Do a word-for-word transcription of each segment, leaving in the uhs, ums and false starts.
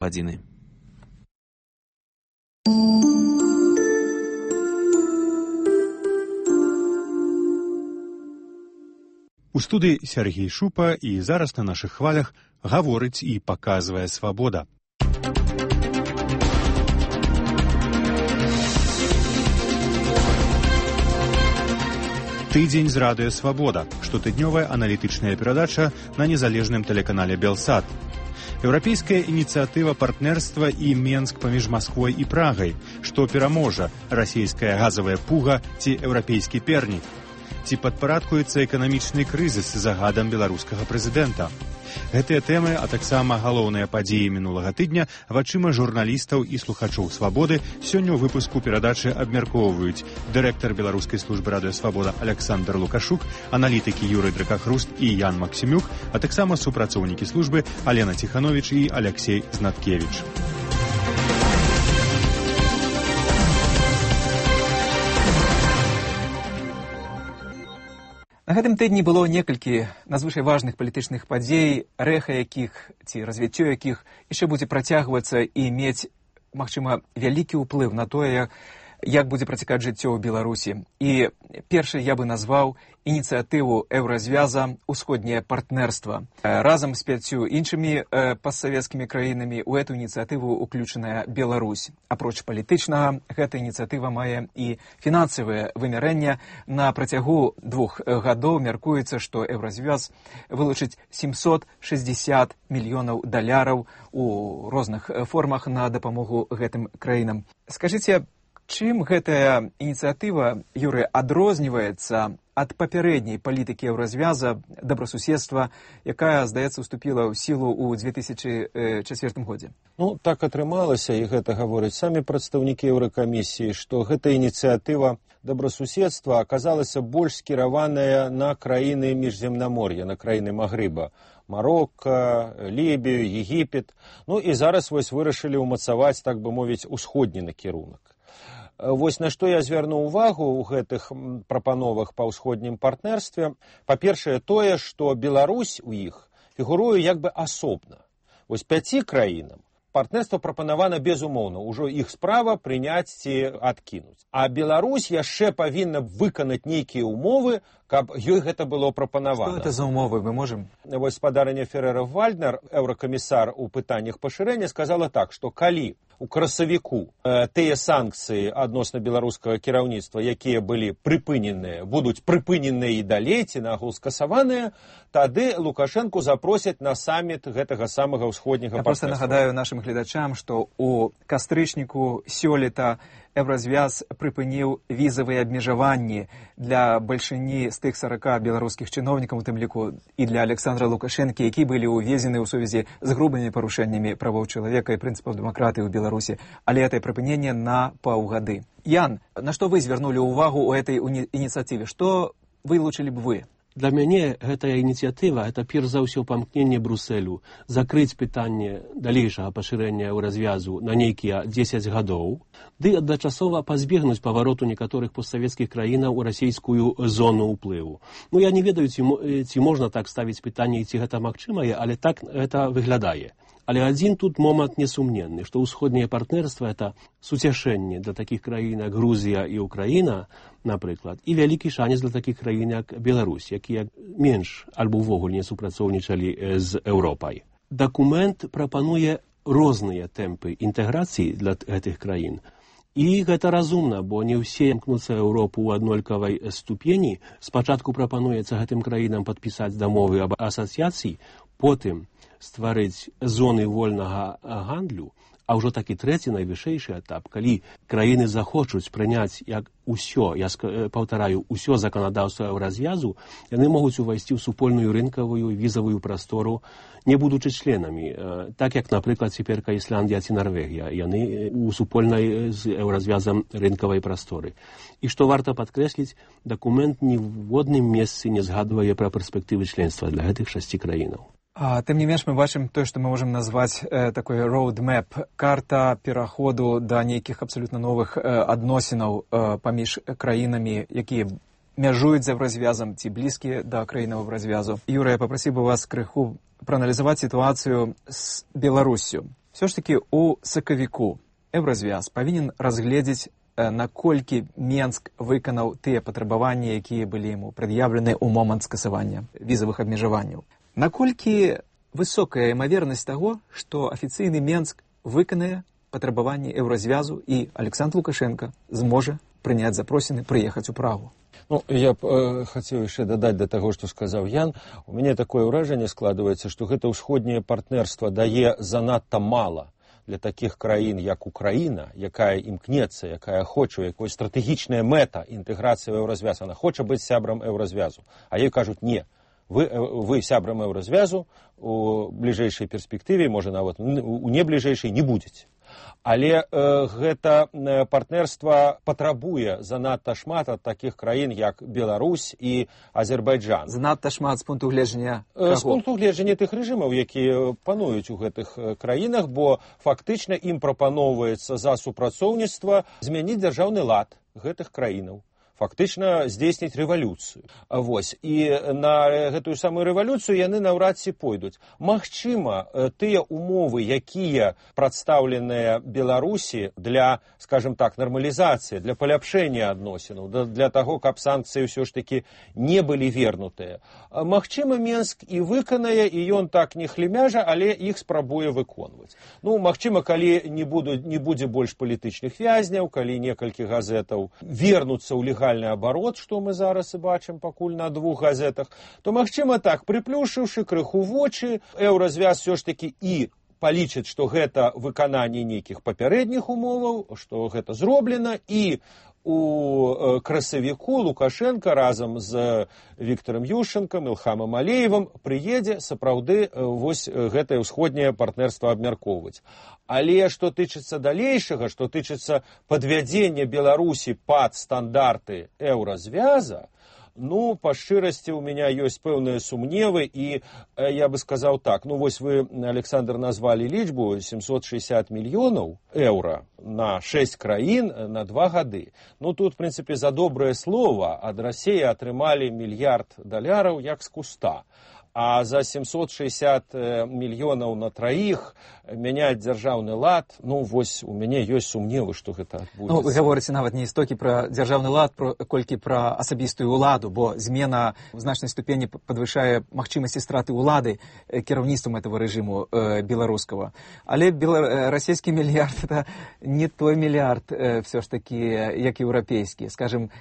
гадзіны. У студыі Сергей Шупа, і зараз на нашых хвалях гаворыць і паказвае свабода. Тыдзень з радыё «Свабода» – штотыднёвая аналітычная перадача на незалежным тэлеканале «Белсат». Еўрапейская ініцыятыва партнерства і Менск паміж Масквой і Прагай, што пераможа – расійская газавая пуга ці еўрапейскі пернік. Ці падпарадкуецца эканамічны крызіс загадам беларускага прэзідэнта. Гэтыя тэмы, а таксама галоўныя падзеі мінулага тыдня вачыма журналістаў і слухачоў «Свабоды» сёння ў выпуску перадачы абмяркоўваюць дырэктар беларускай службы радыё «Свабода» Александр Лукашук, аналітыкі Юрый Дракахруст і Ян Максімюк, а таксама супрацоўнікі службы Алена Ціхановіч і Алексей Знаткевіч. На гэтым тыдні было некалькі надзвычай важных палітычных падзей, рэха якіх ці развіццё якіх яшчэ будзе працягвацца і мець, магчыма, вялікі ўплыў на тое, як будзе працякаць жыццё ў Беларусі. І першай я бы назваў ініцыятыву еўразвяза «Усходняе партнерства». Разам з пяццю іншымі постсавецкімі краінамі ў эту ініцыятыву ўключаная Беларусь. Апроч палітычнага, гэта ініцыятыва мае і фінансавае вымярэнне. На працягу двух гадоў мяркуецца, што еўразвяз вылучыць сямьсот шэсцьдзесят мільёнаў даляраў у розных формах на дапамогу гэтым краінам. Скажыце, чым гэтая ініцыятыва, Юрый, адрозніваецца ад папярэдняй палітыкі еўразвяза добрасуседства, якая, здаецца, уступіла ў сілу ў две тысячы чацвёртым годзе? Ну, так атрымалася, і гэта гавораць самі прадстаўнікі Еўракамісіі, што гэта ініцыятыва добрасуседства аказалася больш скіраваная на краіны міжземнамор'я, на краіны Магрыба. Марокко, Лібію, Егіпет. Ну і зараз вось вырашылі ўмацаваць, так бы мовіць, усходні накірунак. Вось на што я звярну ўвагу ў гэтых прапановах па ўсходнім партнерстве. Па-першае, тое, што Беларусь у іх фігуруе як бы асобна. Вось пяці краінам партнерство прапанавана безумоўна, ужо іх справа прыняць ці адкінуць. А Беларусь яшчэ павінна выканаць нейкія ўмовы, каб ёй гэта было прапанавана. Што гэта за ўмовы, мы можам? Вось спадарыня Феррера-Вальднер, еўракамісар у пытаннях пашырэння, сказала так, што калі у красавіку э, тыя санкцыі адносна беларускага кіраўніцтва, якія былі прыпыненыя, будуць прыпыненыя і далей, ці нагул скасаваныя, тады Лукашэнку запросяць на саміт гэтага самага ўсходняга партнерства. Я проста нагадаю нашым гледачам, што у кастрычніку сёлета еўразвяз прыпыніў візавыя абмежаванні для бальшыні з тых сарака беларускіх чыноўнікаў, у тым ліку і для Александра Лукашэнкі, які былі ўвезены ў сувязі з грубымі парушэннямі правоў чалавека і прынцыпаў дэмакратыі ў Беларусі, але гэта прыпыненне на паўгады. Ян, на што вы звярнулі ўвагу ў этой ініцыятыве? Што вылучылі б вы? Для мяне гэтая ініцыятыва – гэта перш за ўсё памкненне Брусэлю закрыць пытанне далейшага пашырэння еўразвязу на нейкія дзесяць гадоў, ды адначасова пазбегнуць павароту некаторых постсавецкіх краінаў у расійскую зону ўплыву. Ну, я не ведаю, ці, ці можна так ставіць пытанне, ці гэта магчымае, але так гэта выглядае. Але адзін тут момант несумненны, што ўсходняе партнерства – гэта суцяшэнне для такіх краін, як Грузія і Украіна, напрыклад, і вялікі шанец для такіх краін, як Беларусь, якія менш альбо ўвогуле не супрацоўнічалі з Еўропай. Дакумент прапануе розныя тэмпы інтэграцыі для гэтых краін. І гэта разумна, бо не ўсе імкнуцца Еўропу ў аднолькавай ступені. Спачатку прапануецца гэтым краінам падпісаць дамовы аб асацыяцыі, потым стварыць зоны вольнага гандлю, а ўжо такі трэці найвышэйшы этап, калі краіны захочуць прыняць як усё, я паўтараю, усё заканадаўства еўразвязу, яны могуць увайсці ў супольную рынкавую візавую прастору, не будучы членамі, так як, напрыклад, цяперка Ісландія ці Нарвегія, яны у супольнай з еўразвязам рынкавай прасторы. І што варта падкрэсліць, дакумент ні в одным месцы не згадвае пра перспектывы членства для гэтых шасці краінаў. А, тым не менш, мы бачым тое, што мы можам назваць э, такой roadmap, карта пераходу да нейкіх абсалютна новых э, адносінаў э, паміж краінамі, якія мяжуюць за еўразвязам ці блізкія да краінаў еўразвязу. Юра, я папрасіў бы вас крыху прааналізаваць сітуацыю з Беларуссю. Все ж таки у сакавіку Еўразвяз павінен разгледзець, наколькі Менск выканаў тыя патрабаванні, якія былі яму прад'яўлены ў момант скасавання візавых абмежаванняў. Наколькі высокая імавернасць таго, што афіцыйны Менск выканае патрабаванні Еўразвязу і Александр Лукашенко зможа прыняць запросіны прыехаць у Прагу? Ну, я б э, хацеў яшчэ дадаць да таго, што сказаў Ян. У мяне такое ўражанне складваецца, што гэта ўсходняе партнерства дае занадта мала для такіх краін, як Украіна, якая імкнецца, якая хоча, якой стратэгічная мэта інтэграцыі ў Еўразвяз. Она хоча быць сябрам Еўразвязу. А ёй кажуць, не, вы, вы сябрам Еўразвязу у бліжэйшай перспектыве, можа нават у небліжэйшай не будзеце. Але э, гэта партнерства патрабуе занадта шмат ад такіх краін, як Беларусь і Азербайджан. Занадта шмат з пункту гледжання каго? З пункту гледжання тых рэжымаў, якія пануюць у гэтых краінах, бо фактычна ім прапаноўваецца за супрацоўніцтва змяніць дзяржаўны лад гэтых краінаў. Фактычна здзейсніць рэвалюцыю. Вось. І на гэтую самую рэвалюцыю яны наўрад ці пойдуць. Магчыма, тыя умовы, якія прадстаўленыя Беларусі для, скажем так, нармалізацыі, для паляпшэння адносінаў, для таго, каб санкцыі ўсё ж такі не былі вернутыя. Магчыма, Менск і выканае, і ён так не хлемяжа, але іх спрабуе выконваць. Ну, магчыма, калі не, буду, не будзе больш палітычных вязняў, калі некалькі газетаў вернуцца ў легальнасць абарот, што мы зараз і бачым пакуль на двух газетах, то, магчыма, так, прыплюшыўшы крыху вочы, Еўразвяз все ж такі і палічыць, што гэта выкананне нейкіх папярэдніх умоваў, што гэта зроблена, і у красавіку Лукашенко разам з Віктарам Ющенкам, Ілхамам Алеевым прыедзе сапраўды вось гэтае ўсходняе партнерства абмяркоўваць. Але што тычыцца далейшага, што тычыцца падвядзення Беларусі пад стандарты Еўразвяза, ну, па шчырасці, у меня ёсць пэўныя сумневы, і я бы сказаў так, ну, вось вы, Александр, назвалі лічбу семьсот шестьдесят мільёнаў еўра на шэсць краін на два гады. Ну, тут, в прынцыпе, за добрае слова ад Расіі атрымалі мільярд даляраў як з куста. А за семьсот шестьдесят мільёнаў на траіх мяняць дзяржаўны лад, ну, вось у мяне ёсць сумневы, што гэта адбудзецца. Ну, вы гаворыце нават не стокі пра дзяржаўны лад, про, колькі пра асабістую ўладу, бо змена в значнай ступені падвышае магчымасці страты ўлады кіраўніцтвам этого рэжыму э, беларускага. Але бела... расійскі мільярд — это не той мільярд э, все ж такі, як еўрапейскі. Скажем,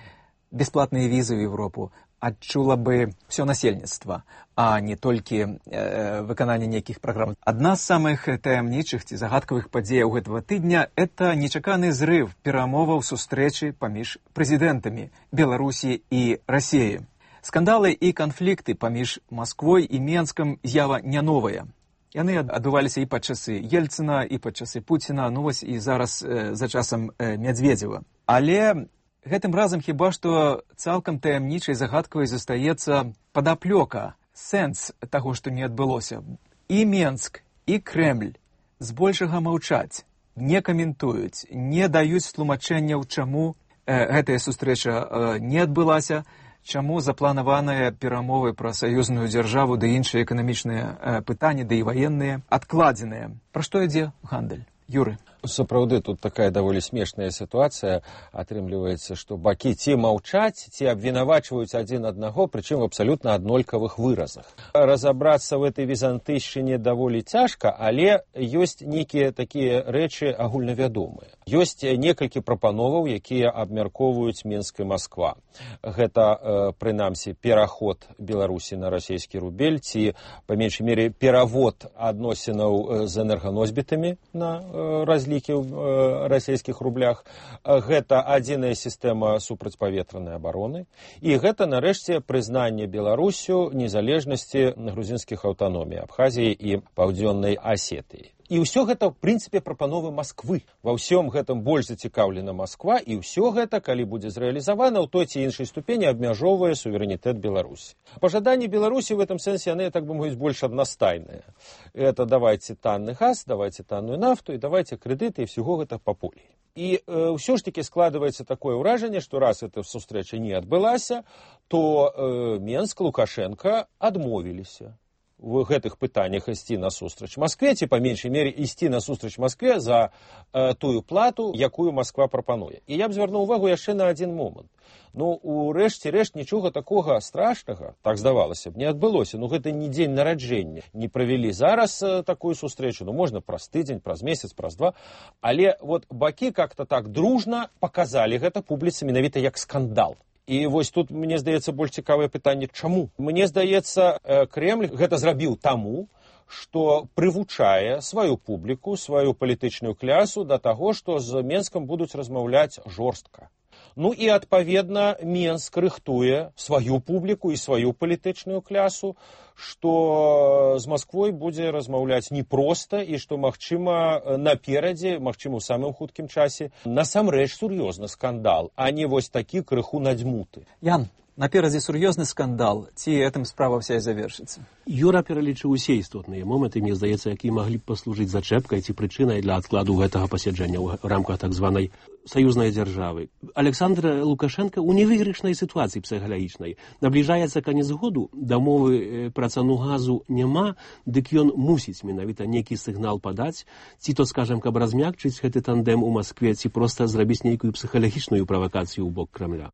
бесплатныя візы ў Европу адчула бы все насельніцтва, а не толькі э, выкананне нейкіх праграм. Адна з самых таямнічых ці загадкавых падзеяў гэтага тыдня — это нечаканы зрыв перамоваў сустрэчы паміж прэзідэнтамі Беларусі і Расіі. Скандалы і канфлікты паміж Масквой і Менскам з'ява не новая. Яны адбываліся і пад часы Ельцына, і пад часы Пуціна, ну вось і зараз э, за часам э, Мядзведзева. Але гэтым разам хіба што цалкам таямнічай загадкавай застаецца падаплёка, сэнс таго, што не адбылося. І Менск, і Крэмль збольшага маўчаць, не каментуюць, не даюць тлумачэнняў, чаму э, гэтая сустрэча э, не адбылася, чаму запланаваныя перамовы пра саюзную дзяржаву ды іншыя эканамічныя э, пытанні, ды і ваенныя адкладзеныя. Пра што ідзе гандаль? Юры. Сапраўды, тут такая даволі смешная сітуацыя атрымліваецца, што бакі ці маўчаць, ці абвінавачваюць адзін аднаго, прычым в абсалютна аднолькавых выразах. Разабрацца в этой візантыйшчыне даволі цяжка, але ёсць нейкія такія рэчы агульнавядомыя. Ёсць некалькі прапановаў, якія абмяркоўваюць Менск і Масква. Гэта, прынамсі, пераход Беларусі на расійскі рубель, ці, па меншай мере, перавод адносінаў з энерганосьбітамі на разлікі ў расійскіх рублях. Гэта адзіная сістэма супрацьпаветранай абароны. І гэта, нарэшце, прызнанне Беларусю незалежнасці грузінскіх аўтаномій Абхазіі і Паўдзённай Асетыі. І ўсё гэта, в прынцыпе, прапановы Масквы. Ва ўсём гэтым больш зацікаўлена Масква, і ўсё гэта, калі будзе зрэалізавана, ў той ці іншай ступені абмяжоўвае суверэнітэт Беларусі. Пажаданні Беларусі в этом сэнсе, яны, так бы мовіць, больш аднастайныя. Это давайте танны газ, давайте танную нафту, і давайте крэдыты, і всего гэта па полі. І э, ўсё ж таки складваецца такое ўражанне, што раз эта сустрэча не адбылася, то э, Менск, Лукашенко адмовіліся в гэтых пытаннях ісці насустрач Маскве, ці, па меншай мере, ісці насустрач Маскве за э, тую плату, якую Масква прапануе. І я б звярнуў увагу яшчэ на адзін момант. Ну, у рэшце рэшт нічога такога страшнага, так здавалася б, не адбылося. Ну, гэта не дзень нараджэння. Не правялі зараз э, такую сустрэчу, ну, можна праз тыдзень, праз месяц, праз два. Але вот бакі как-то так дружна паказалі гэта публіцы менавіта як скандал. І вось тут, мне здаецца, больш цікавае пытанне, чаму? Мне здаецца, Кремль гэта зрабіў таму, што прывучае сваю публіку, сваю палітычную клясу да таго, што з Менскам будуць размаўляць жорстка. Ну і, адпаведна, Менск рыхтуе сваю публіку і сваю палітычную клясу, што з Масквой будзе размаўляць непроста і што, магчыма, наперадзе, магчыма, у самым хуткім часе, насамрэч сур'ёзны скандал, а не вось такі крыху надзьмуты. Ян, наперадзе сур'ёзны скандал, ці гэтым справа вся і завершыцца? Юра пералічыў усе істотныя моманты, мне здаецца, якія маглі б паслужыць зачэпкай ці прычынай для адкладу гэтага пасяджэння ў рамках так званай саюзнай дзяржавы. Александр Лукашенко ў невыйгрышнай сітуацыі псіхалагічнай. Набліжаецца канец году, дамовы пра цану газу няма, дык ён мусіць менавіта нейкі сігнал падаць, ці то, скажам, каб размякчыць гэты тандем у Маскве, ці проста зрабіць нейкую псіхалагічную правакацыю ў бок Крамля.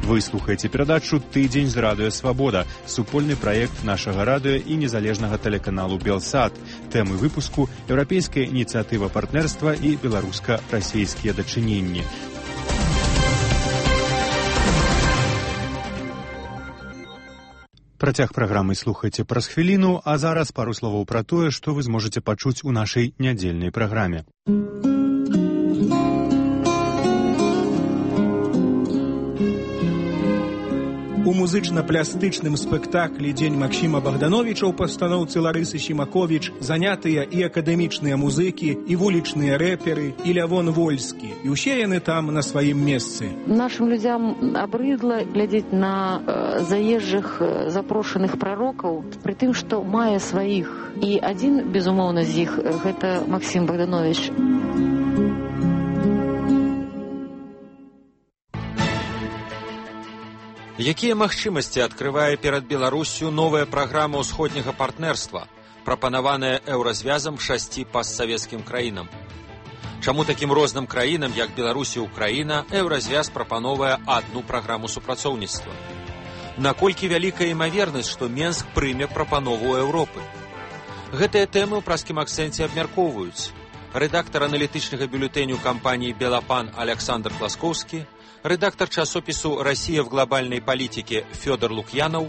Вы слухаеце перадачу «Тыдзень з радыё Свабода», супольны праект нашага радыё і незалежнага тэлеканалу «Белсат». Тэмы выпуску – еўрапейская ініцыятыва партнерства і беларуска-расійскія дачыненні. Працяг праграмы слухайце праз хвіліну, а зараз пару словаў пра тое, што вы зможаце пачуць у нашай нядзельнай праграме. У музычна-плястычным спектаклі «Дзень Максіма Богдановича» у пастаноўцы Ларысы Сімаковіч занятыя і акадэмічныя музыкі, і вулічныя рэперы, і Лявон Вольскі. І ўсе яны там на сваім месцы. Нашим людям абрыдла глядзець на э, заезжых э, запрошаных прарокаў, пры тым, што мае сваіх. І адзін, безумоўна, з іх, гэта Максім Богданович. Якія магчымасці адкрывае перад Беларуссю новая праграма ўсходняга партнерства, прапанаваная еўразвязам шасці пастсавецкім краінам? Чаму такім розным краінам, як Беларусь і Украіна, еўразвяз прапановае адну праграму супрацоўніцтва? Наколькі вялікая імавернасць, што Менск прыме прапанову Еўропы? Гэтыя тэмы ў праскім акцэнце абмяркоўваюць рэдактар аналітычнага бюлетэню кампаніі «Белапан» Александр Класкоўскі, редактор часопису «Россия в глобальной политике» Федор Лукьянов,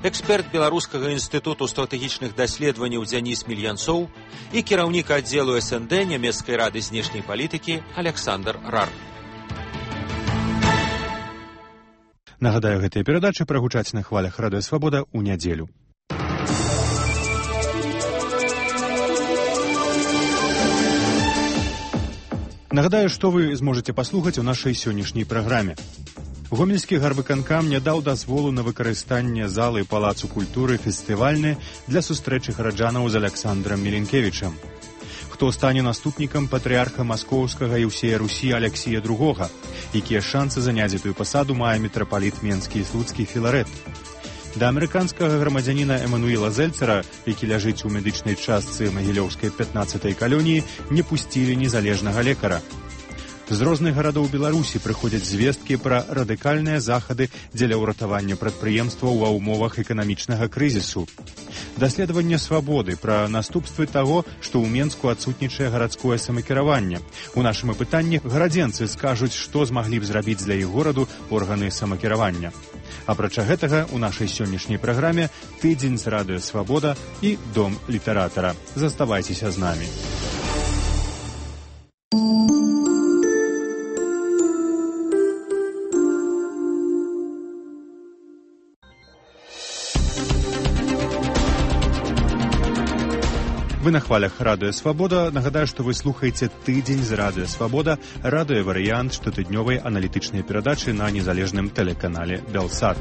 эксперт Белорусского института стратегичных даследований Денис Мильянцов и кіраўнік отделу эс эн дэ Немецкой рады знешней политики Александр Рар. Нагадаю, гэтыя перадачы прагучаць на хвалях радыё Свабода ў нядзелю. Нагадаю, што вы зможаце паслухаць у нашай сённяшняй праграме. Гомельскі гарвыканкам не даў дазволу на выкарыстанне залы Палацу культуры фестывальны для сустрэчы гараджанаў з Александрам Міленкевічам. Хто стане наступнікам патрыарха маскоўскага і ўсея Русі Алексія другога, якія шансы заняць гэтую пасаду мае мітрапаліт Менскі і Слуцкі Філарэт. Да амерыканскага грамадзяніна Эмануіла Зельцера, які ляжыць у медычнай частцы магілёўскай пятнаццатай калоніі, не пусцілі незалежнага лекара. З розных гарадоў Беларусі прыходзяць звесткі пра радыкальныя захады дзеля ўратавання прадпрыемстваў ва ўмовах эканамічнага крызісу. Даследаванне «Свабоды» пра наступствы таго, што ў Менску адсутнічае гарадское самакіраванне. У нашым апытанні гарадзенцы скажуць, што змаглі б зрабіць для іх гораду органы самакіравання. Апрача гэтага, у нашай сённяшняй праграме «Тыдзень з радыё Свабода» і «Дом літаратара». Заставайцеся з намі. Вы на хвалях радыё Свабода. Нагадаю, што вы слухаеце «Тыдзень з радыё Свабода», радыёварыянт штотыднёвай аналітычнай перадачы на незалежным тэлеканале «Белсат».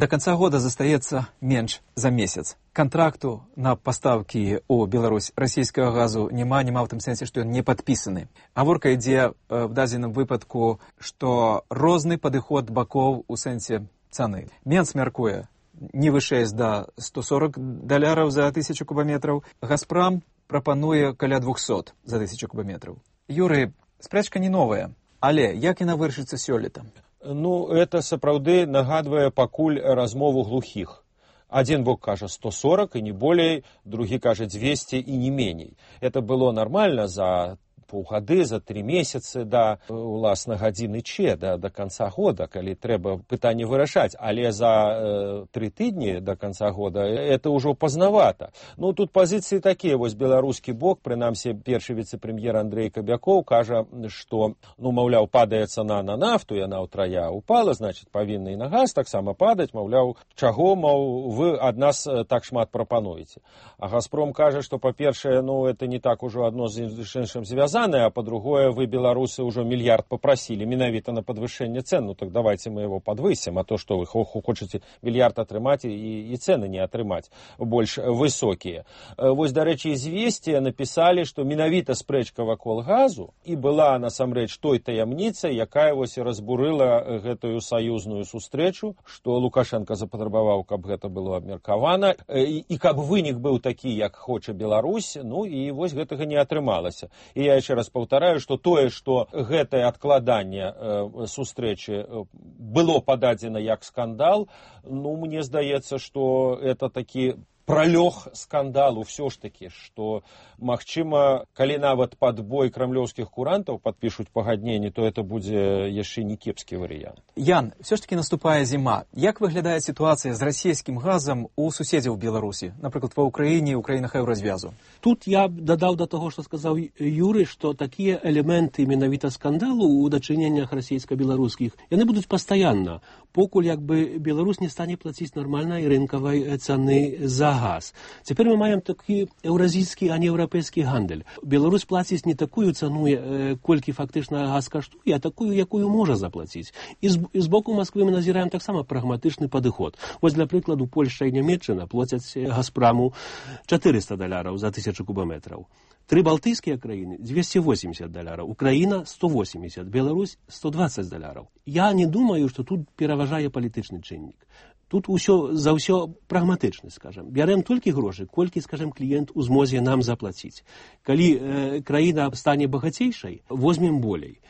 До конца года застаецца менш за месяц. Контракту на поставкі ў Беларусь расійскага газу няма, няма ў тым сэнсе, што ён не падпісаны. Гаворка ідзе в дадзеным выпадку, што розны падыход бакоў у сэнсе цаны. Менц мяркуе не вышэй за сто сорок даляраў за тысячу кубаметраў. Газпрам прапануе каля двухсот за тысячу кубаметраў. Юрый, спрэчка не новая, але як яна вырашыцца сёлета? Ну, это сапраўды нагадвае пакуль размову глухіх. Один бок кажа сто сорок и не болей, другі кажа двести и не меней. Это было нормально за паўгады, за три месяцы да уласна гадзіны че, да, до конца года, калі трэба пытанне вырашаць. Але за э, три тыдні до конца года это ўжо пазнавата. Ну, тут пазіцыі такія. Вось беларускі бок, прынамсі, першы віцэ-прэм'ер Андрей Кабякоў кажа, што, ну, маўляў, падае цана на нафту, яна ўтрая упала, значит, павінна і на газ таксама падаць, маўляў, чаго, маў, вы ад нас так шмат прапануеце. А Газпром кажа, што, па-першае, ну, это не так ужо адно з іншым звязана, а по-другое, вы, белорусы, уже миллиард попросили менавіта на подвышение цен, ну так давайте мы его подвысим, а то, что вы хочете миллиард отрымать и, и цены не отрымать больш высокие. Вось, до речи, известия написали, что менавіта спрэчка вакол газу и была, насамрэч, той таямніцай, якая вось и разбурыла гэтую саюзную сустрэчу, что Лукашенко запатрабаваў, каб гэта было абмеркавана, и, и каб вынік быў такі, як хоча Беларусь, ну и вось гэтага не атрымалася. И я еще раз паўтараю, што тое, што гэтае адкладанне э, сустрэчы было пададзена як скандал, ну, мне здаецца, што это такі пролег скандалу все ж таки, что, магчыма, калі нават пад бой крамлёўскіх курантаў падпішуць пагадненне, то это будзе яшчэ не кепскі варыянт. Ян, все ж таки наступае зіма. Як выглядае сітуацыя з расійскім газам у суседзяў Беларусі, напрыклад, ва Ўкраіне і ў краінах еўразвязу? Тут я дадаў да таго, што сказаў Юрый, што такія элементы менавіта скандалу ў дачыненнях расійска-беларускіх, яны будуць пастаянна, покуль як бы Беларусь не стане плаціць нармальнай рынкавай цаны за газ. Цяпер мы маем такі еўразійскі, а не еўрапейскі гандаль. Беларусь плаціць не такую цану, колькі фактычна газ каштуе, а такую, якую можа заплаціць. І з, і з боку Масквы мы назіраем таксама прагматычны падыход. Вось, для прыкладу, Польшча і Нямецчына плацяць Газпраму чатырыста даляраў за тысячу кубаметраў. Тры балтыйскія краіны двести восемьдесят даляраў, Украіна сто восемьдесят, Беларусь сто двадцать даляраў. Я не думаю, што тут пераважае палітычны чыннік. Тут усё за ўсё прагматычна, скажем. Бярем толькі грошы, колькі, скажем, кліент у змозе нам заплаціць. Калі э, краіна стане багацейшай, возьмем болей.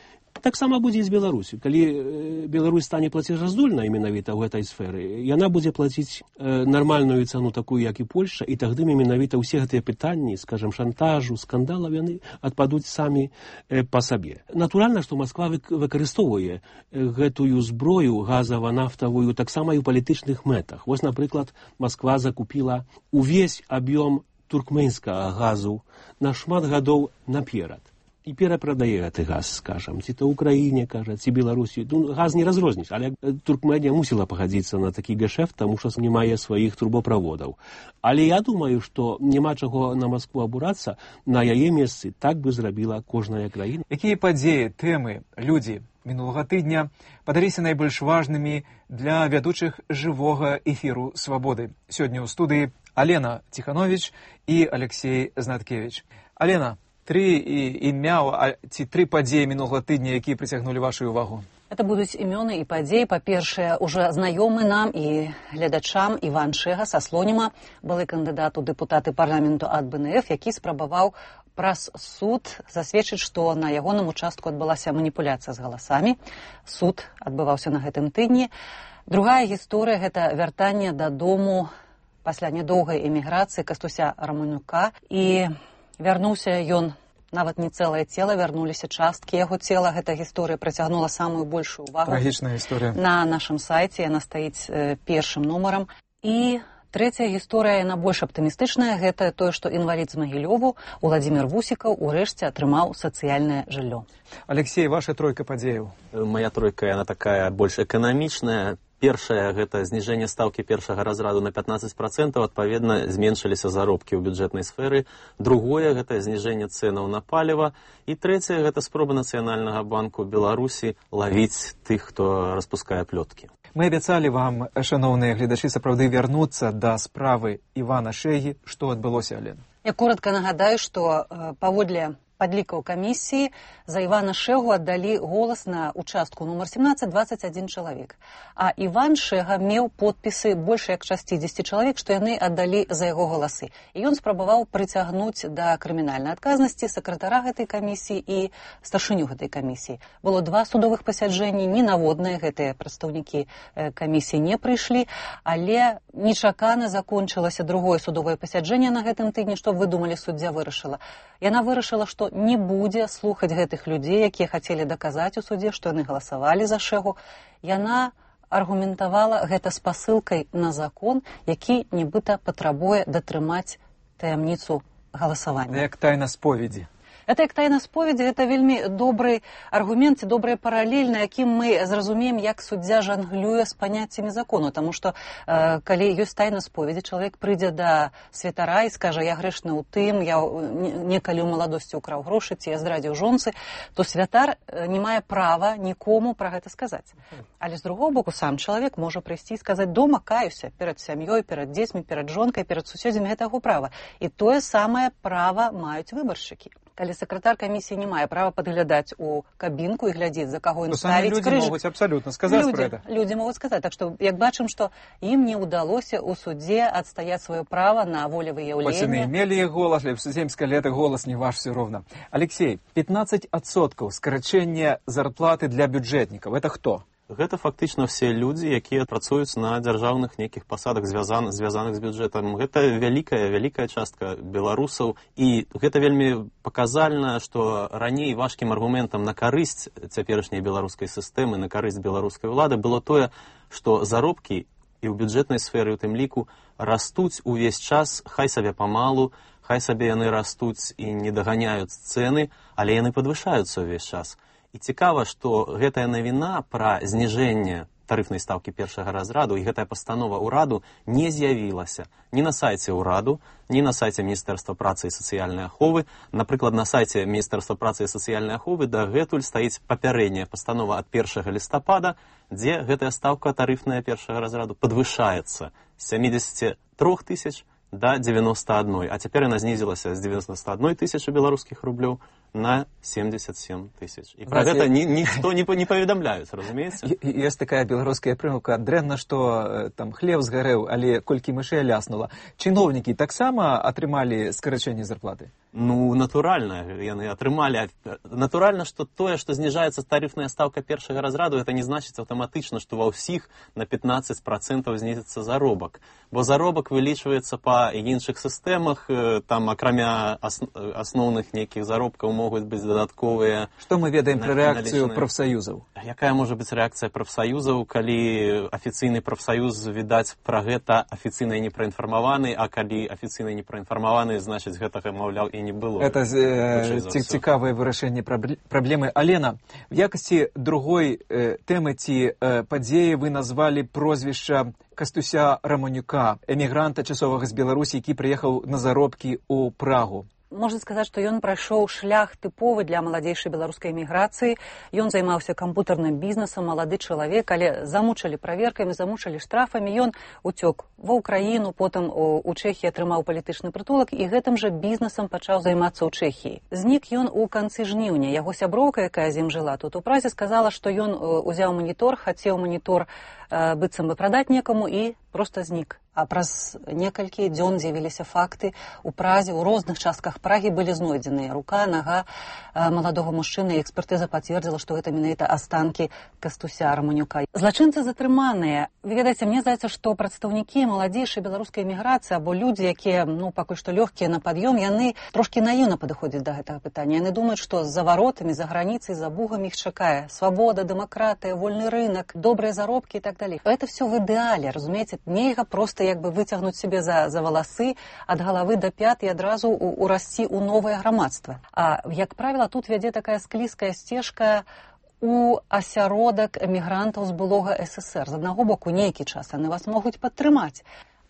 Таксама будзе і з Беларусю. Калі э, Беларусь стане плацежаздольнай менавіта ў гэтай сферы, яна будзе плаціць э, нармальную цану такую, як і Польшча, і тагды менавіта ўсе гэтыя пытанні, скажем, шантажу, скандалаў, яны адпадуць самі э, па сабе. Натуральна, што Масква выкарыстоўвае гэтую зброю газава-нафтавую таксама і ў палітычных мэтах. Вось, напрыклад, Масква закупіла увесь аб'ём туркменскага газу на шмат гадоў наперад. І перапрадае гэты газ, скажам, ці то Украіне, кажа, ці Беларусі. Ну, газ не разрозніш, але Туркменія мусіла пагадзіцца на такі гешэфт, таму што не мае сваіх трубаправодаў. Але я думаю, што няма чаго на Маскву абурацца, на яе месцы так бы зрабіла кожная краіна. Якія падзеі, тэмы, людзі мінулага тыдня падаліся найбольш важнымі для вядучых жывога эфіру «Свабоды»? Сёння ў студыі Алена Ціхановіч і Алексей Знаткевич. Алена, тры імя ці тры падзеі мінулага тыдня, якія прыцягнулі вашу увагу? Это будуць імёны і падзеі. Па-першае, уже знаёмы нам і гледачам Іван Шэга са Слоніма, былы кандыдат у дэпутаты парламенту ад бэ эн эф, які спрабаваў праз суд засведчыць, што на ягоным участку адбылася маніпуляцыя з галасамі. Суд адбываўся на гэтым тыдні. Другая гісторыя – гэта вяртанне дадому пасля нядоўгай эміграцыі Кастуся Раманюка. І вярнуўся ён, нават не цэлае цела, вярнуліся часткі яго цела. Гэта гісторыя прыцягнула самую большую увагу. Трагічная гісторыя. На нашым сайце яна стаіць э, першым нумарам. І трэцяя гісторыя, яна больш аптымістычная, гэта тое, што інвалід з Магілёву Уладзімір Вусікаў урэшце атрымаў сацыяльнае жыллё. Алексей, ваша тройка падзеяў. Моя тройка, яна такая больш эканамічная. Першае – гэта зніжэнне стаўкі першага разраду на пятнадцать процентаў, адпаведна, зменшыліся заробкі ў бюджэтнай сферы. Другое – гэта зніжэнне цэнаў на паліва. І трэцяе – гэта спроба Нацыянальнага банку Беларусі лавіць тых, хто распускае плёткі. Мы абяцалі вам, шановныя гледачы, сапраўды вярнуцца да справы Івана Шэгі. Што адбылося, Алена? Я коротко нагадаю, што паводле падлікаў камісіі за Івана Шэгу аддалі голас на участку нумар семнадцать двадцать один чалавек. А Іван Шэга меў подпісы больш як шестьдесят чалавек, што яны аддалі за яго галасы. І ён спрабаваў прыцягнуць да крымінальнай адказнасці сакратара гэтай камісіі і старшыню гэтай камісіі. Было два судовых пасяджэнні, ні наводныя гэтыя прадстаўнікі камісіі не прыйшлі, але нечакана закончылася другое судовае пасяджэнне на гэтым тыдні. Што вы думалі, суддзя вырашыла? Яна вырашыла, што не будзе слухаць гэтых людзей, якія хацелі даказаць у судзе, што яны галасавалі за Шэгу. Яна аргументавала гэта спасылкай на закон, які нібыта патрабуе датрымаць таямніцу галасавання. Як тайна споведзі. Это як тайна споведзі, гэта вельмі добры аргумент і добрая паралель, на якім мы зразумеем, як суддзя жанглюе з паняццямі закону. Таму што, э, калі ёсць тайна споведзі, чалавек прыйдзе да святара і скажа, я грэшны ў тым, я некалі ў маладосці ўкраў грошы, ці я здрадзіў жонцы, то святар не мае права нікому пра гэта сказаць. Але з другого боку, сам чалавек можа прыйсці і сказаць, дома каюся перад сям'ёй, перад дзецьмі, перад жонкай, перад суседзямі, гэта яго права. І тое самае права маюць выбаршчыкі. Калі сакратар камісіі не мае права падглядаць у кабінку і глядзець, за каго ён ставіць крыж. Людзі могуць абсалютна сказаць людзі, пра гэта. Людзі могуць сказаць. Так што, як бачым, што ім не ўдалося ў судзе адстаяць сваё права на волевыяўленне. Хоць яны мелі іх голас, але земскае лета голас не ваш все роўна. Алексей, пятнадцать адсоткаў скарачэння зарплаты для бюджэтнікаў. Это хто? Гэта фактычна ўсе людзі, якія працуюць на дзяржаўных нейкіх пасадах, звязаных, звязаных з бюджэтам. Гэта вялікая, вялікая частка беларусаў. І гэта вельмі паказальна, што раней важкім аргументам на карысць цяперашняй беларускай сістэмы, на карысць беларускай улады было тое, што заробкі і ў бюджэтнай сферы, у тым ліку, растуць увесь час, хай сабе памалу, хай сабе яны растуць і не даганяюць цэны, але яны падвышаюцца ўвесь час. І цікава, што гэтая навіна пра зніжэнне тарыфнай стаўкі першага разраду і гэтая пастанова ўраду не з'явілася ні на сайце ўраду, ні на сайце Міністэрства працы і сацыяльнай аховы. Напрыклад, на сайце Міністэрства працы і сацыяльнай аховы дагэтуль стаіць папярэдняя пастанова ад першага лістапада, дзе гэтая стаўка тарыфная першага разраду падвышаецца з сямидесяти трёх тысяч да девяноста одной, а цяпер яна знізілася з девяноста одной тысячи беларускіх рублёў на семьдесят семь тысяч. І пра гэта ні, ніхто не, не паведамляюць, разумееце? Ёсць такая беларуская прымаўка, дрэнна, што там хлеб згарэў, але колькі мышэй ляснула. Чыноўнікі таксама атрымалі скарачэнне зарплаты? Ну, натуральна, яны атрымалі. Натуральна, што тое, што зніжаецца тарыфная стаўка першага разраду, это не значыць аўтаматычна, што ва ўсіх на пятнадцать процентов знізіцца заробак. Бо заробак вылічваецца па іншых сістэмах, там акрамя асноўных нейкіх заробкаў могуць быць дадатковыя. Што мы ведаем пра рэакцыю прафсаюзаў? Якая можа быць рэакцыя прафсаюзаў, калі афіцыйны прафсаюз, відаць, пра гэта афіцыйна не праінфармаваны, а калі афіцыйна не праінфармаваны, значыць, гэтага, маўляў, і не было. Это э, цікавае вырашэнне праблемы. Алена, в якасці другой э, тэмы ці э, падзеі вы назвалі прозвішча Кастуся Романюка, эмігранта часовага з Беларусі, які прыехаў на заробкі ў Прагу. Можна сказаць, што ён прайшоў шлях тыповы для маладзейшай беларускай эміграцыі. Ён займаўся кампутарным бізнесам, малады чалавек, але замучылі праверкамі, замучылі штрафамі. Ён уцёк ва ўкраіну, потым у Чэхіі атрымаў палітычны прытулак і гэтым жа бізнесам пачаў займацца ў Чэхіі. Знік ён у канцы жніўня. Яго сяброўка, якая з ім жыла тут у Празе, сказала, што ён узяў манітор, хацеў манітор быццам бы прадаць некаму і проста знік. А праз некалькі дзён з'явіліся факты. У Празе, у розных частках Прагі былі знойдзеныя рука, нага маладога мужчыны, і экспертыза пацвердзіла, што гэта менавіта астанкі Кастуся Романюка. Злачынцы затрыманыя. Вы ведаеце, мне здаецца, што прадстаўнікі маладзейшай беларускай эміграцыі або людзі, якія, ну, пакуль што лёгкія на пад'ём, яны трошкі наіўна падыходзяць да гэтага пытання. Яны думаюць, што за варотамі, за граніцай, за бугамі іх чакае свабода, дэмакратыя, вольны рынок, добрыя заробкі і так далей. Это все в ідэале, разумееце? Нельга проста як бы выцягнуць себе за, за валасы ад галавы да пят і адразу урасці ў новае грамадства. А, як правіла, тут вядзе такая склізкая сцежка у асяродак эмігрантаў з былога СССР. З аднаго боку, нейкі час яны вас могуць падтрымаць.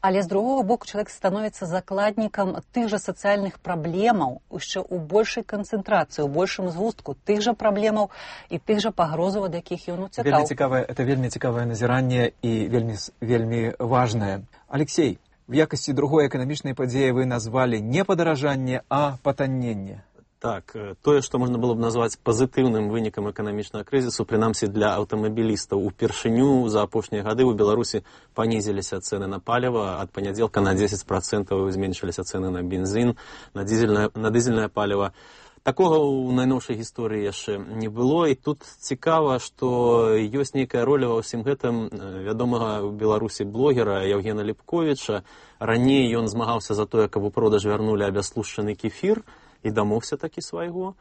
Але з другого боку чалавек становіцца закладнікам тых жа сацыяльных праблемаў, яшчэ ў большай канцэнтрацыі, у большым згустку тых жа праблемаў і тых жа пагрозаў, ад якіх ён уцякаў. Вельмі цікавае, это вельмі цікавае назіранне і вельмі, вельмі важнае. Алексей, в якасці другой эканамічнай падзеі вы назвалі не падаражанне, а патанненне. Так, тое, што можна было б назваць пазітыўным вынікам эканамічнага крызісу, прынамсі для аўтамабілістаў, упершыню за апошнія гады ў Беларусі панізіліся цэны на паліва, ад панядзелка на дзесяць працэнтаў зменшыліся цэны на бензін, на дызельнае, на дызельнае паліва. Такога ў найноўшай гісторыі яшчэ не было, і тут цікава, што ёсць нейкая роля ва ўсім гэтым вядомага ў Беларусі блогера Яўгена Ліпковіча. Раней ён змагаўся за тое, каб у продаж вярнулі абяслушчаны кефір, і дамогся такі свайго.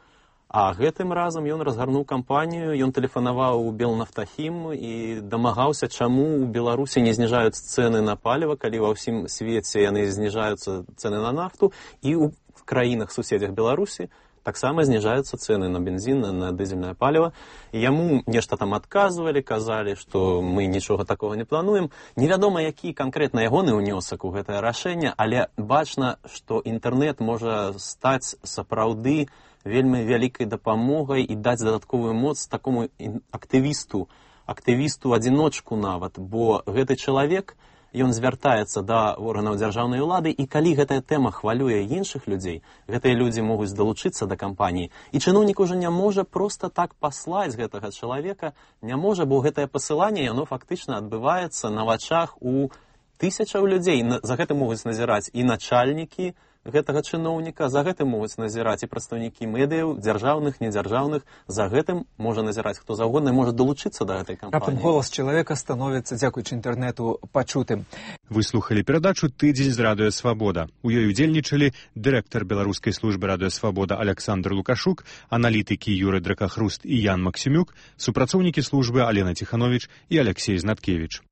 А гэтым разам ён разгарнуў кампанію, ён тэлефанаваў у Белнафтахім і дамагаўся, чаму ў Беларусі не зніжаюць цэны на паліва, калі ва ўсім свеце яны зніжаюцца цэны на нафту, і ў краінах-суседзях Беларусі таксама зніжаюцца цэны на бензін, на дызельнае паліва. І яму нешта там адказвалі, казалі, што мы нічога такога не плануем. Невядома, які канкрэтна ягоны ўнёсак у гэтае рашэнне, але бачна, што інтэрнэт можа стаць сапраўды вельмі вялікай дапамогай і даць дадатковую моц такому актывісту, актывісту-адзіночку нават, бо гэты чалавек, ён звяртаецца да органаў дзяржаўнай улады, і калі гэтая тэма хвалюе іншых людзей, гэтыя людзі могуць далучыцца да кампаніі. І чыноўнік ужо не можа проста так паслаць гэтага чалавека, не можа, бо гэтае пасыланне, яно фактычна адбываецца на вачах у тысячаў людзей. За гэтым могуць назіраць і начальнікі гэтага чыноўніка, за гэтым могуць назіраць і прадстаўнікі медыяў, дзяржаўных, недзяржаўных, за гэтым можа назіраць хто заўгодна і можа далучыцца да гэтай кампаніі. Раптам голас чалавека становіцца, дзякуючы інтэрнэту, пачутым. Вы слухалі перадачу «Тыдзень з Радыё Свабода». У ёй удзельнічалі дырэктар беларускай службы Радыё Свабода Александр Лукашук, аналітыкі Юры Дракахруст і Ян Максімюк, супрацоўнікі службы Алена Ціхановіч і Алексей Знаткевіч.